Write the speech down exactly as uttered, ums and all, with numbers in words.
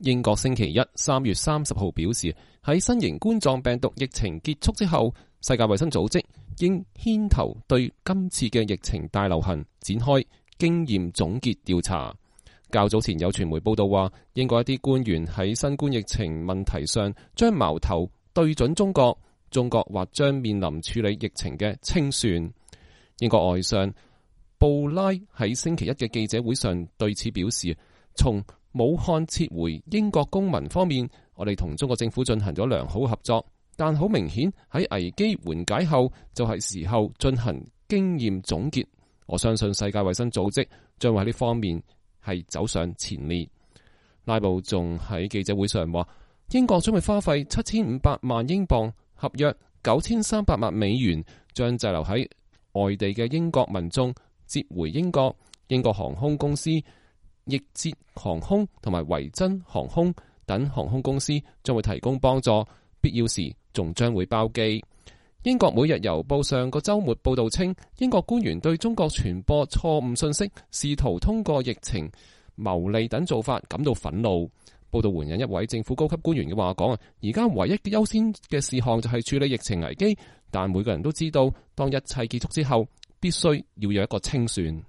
英國星期一三月三十號表示，喺新型冠狀病毒疫情結束之後，世界衛生組織應牽頭對今次嘅疫情大流行展開經驗總結調查。較早前有傳媒報道話，英國一啲官員喺新冠疫情問題上將矛頭對準中國，中國或將面臨處理疫情嘅清算。英國外相布拉喺星期一嘅記者會上對此表示，從武漢撤回英國公民方面，我哋同中國政府進行咗良好合作，但好明顯喺危機緩解後就係時候進行經驗總結。我相信世界衛生組織將會喺呢方面係走上前列。拉布仲喺記者會上話，英國將會花費七千五百萬英鎊，合約九千三百萬美元，將滯留喺外地嘅英國民眾接回英國。英國航空公司易捷航空同埋維珍航空等航空公司將會提供幫助，必要時仲將會包機。英國每日郵報上個週末報道稱，英國官員對中國傳播錯誤信息、試圖通過疫情牟利等做法感到憤怒。報道援引一位政府高級官員嘅話講啊，而家唯一優先嘅事項就係處理疫情危機，但每個人都知道，當一切結束之後，必須要有一個清算。